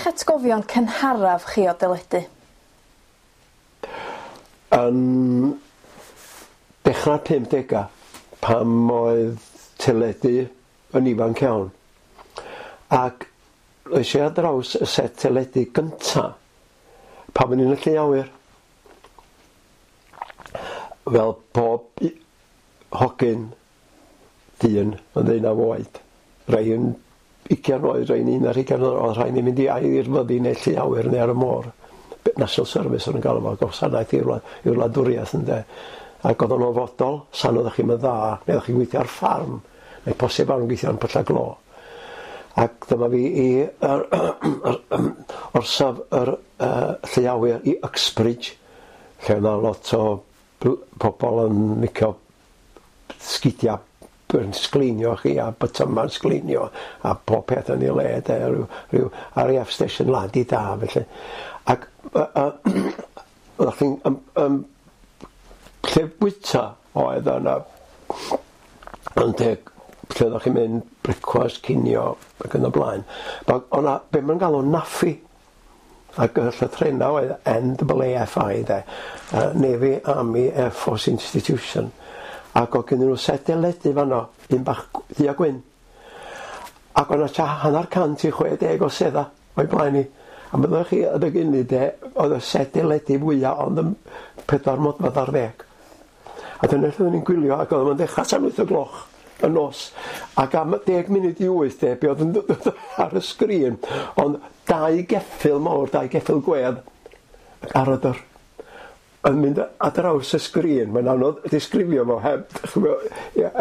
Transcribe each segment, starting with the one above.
'di'ch atgofion cynharaf chi o deledu? Yn dechrau'r 50au, pan oedd teledu yn ifanc iawn, ac es i ar draws y set teledu gynta pan o'n i'n y llu awyr. Fel pob hogyn dyn yn ddeunaw oed, rai yn ugian oed, rhai'n un ar hugain oed, oedd rhaid ni mynd i i'r fyddin neu llu awyr neu ar y môr. National Service o'n nhw'n galw fo, gwasanaeth i'r i'r wladwriaeth ynde. Ac oedd o'n ofodol, san oeddech chi'm yn dda, neu oeddech chi'n gweithio ar ffarm, neu posib iawn gweithio yn pyllau glo. Ac dyma fi i yr, yr, orsaf yr llu awyr i Uxbridge, lle oedd lot o pobl yn licio sgidia yn sgleinio chi a bytyma'n sgleinio a pob peth yn ei le de, rhyw RAF station lad i da felly. Ac oeddech chi'n lle bwyta oedd yna yn teg lle oeddech chi'n mynd brecwast, cinio ac yn y blaen. O'na be ma'n galw NAAFI, ac y llythrennau oedd NAAFI de, Navy Army Air Force Institution, ac oedd gen nhw set deledu fanno, un bach du a gwyn. Ac o'na tua 50 i 60 o sedda o'i blaen i. A byddwch chi adeg hynny de, oedd y set deledu fwyaf ond yn 4 modfedd ar 10. A dyna lle oeddwn ni'n gwylio, ac oedd o'n dechrau tan 8 o gloch y nos. Ac am 7:50 de, be oedd yn dod ar y sgrin, ond dau geffyl mawr, dau geffyl gwedd, ac aradr, yn mynd ar draws y sgrin. Mae'n anodd disgrifio fo heb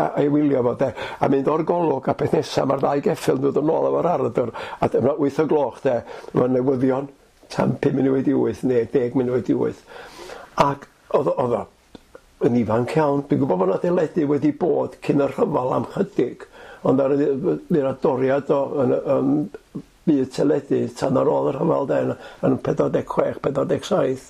a'i wylio fo de. A mynd o'r golwg a peth nesaf, mae'r ddau geffyl yn dod yn ôl efo'r aradr, a dyma 8 o gloch de, mae'n newyddion tan 7:55 neu 7:50. Ac oedd o yn ifanc iawn. Dwi'n gwybod bod 'na deledu wedi bod cyn y rhyfel am chydig, ond ar y doriad o yn yn byd teledu tan ar ôl y rhyfel de, yn 46, 47.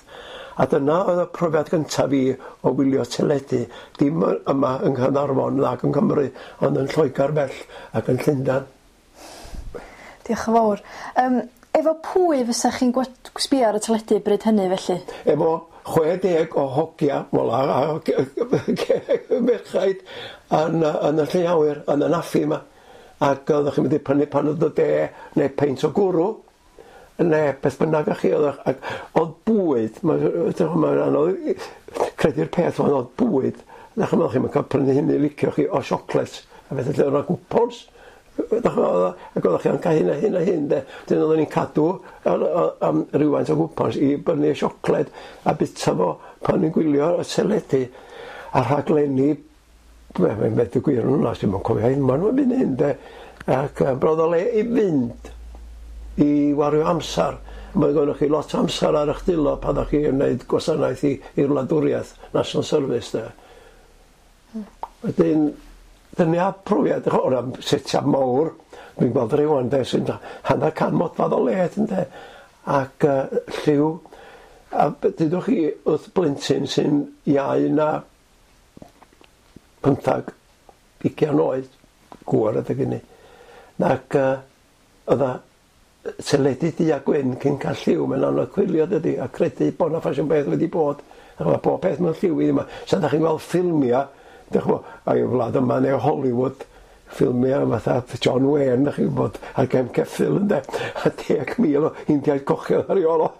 A dyna oedd y profiad gyntaf fi o wylio teledu, dim yma yng Nghaernarfon nag yng Nghymru, ond yn Lloegr bell ac yn Llundain. Diolch yn fawr. Efo pwy fysa chi'n sbio ar y teledu bryd hynny felly? Efo 60 o hogia, wel a merchaid yn y llu awyr, yn y NAAFI yma. Ac oeddech chi'n mynd i prynu paned o de neu peint o gwrw, neu beth bynnag â chi. Ac oedd bwyd, mae'n anodd credu'r peth, ond oedd bwyd, ddech chi'n cael prynu hynny licio chi o siocled, a beth lle oedd gwpons. Ac oeddech chi'n cael hyn a hyn a hyn de. Dyn oeddwn ni'n cadw am rywfaint o gwpons i brynu siocled a bita fo pan ni'n gwylio y teledu a rhaglenni. Mae'n methu gwir yn hwnna, sy'n cofio hyn, maen nhw'n mynd hyn de. Ac brodd o le i fynd i wario amser. Mae gennych chi lot o amser ar eich dwylo pan ydych chi'n gwneud gwasanaeth i'r wladwriaeth, National Service de. Wedyn, dyna profiad, o'r setiau mawr, dwi'n gweld rhywun de, sy'n 150 modfedd o led ynde, ac lliw, a dydwch chi wrth blentyn sy'n iau na 15, 20 oed, gŵr adeg hynny, ac oedd teledu du a gwyn cyn cael lliw, mae'n anodd cwylio dydy, a credu bod 'na ffasiwn beth wedi bod. Mae bob peth mewn lliw i yma. Sa ydych chi'n gweld ffilmiau, dych chi'n gwybod, a'i wlad yma neu Hollywood, ffilmiau fatha John Wayne, dych chi'n gwybod, ar gefn ceffyl ynde, a 10,000 o Indiaid cochion ar ei ôl o.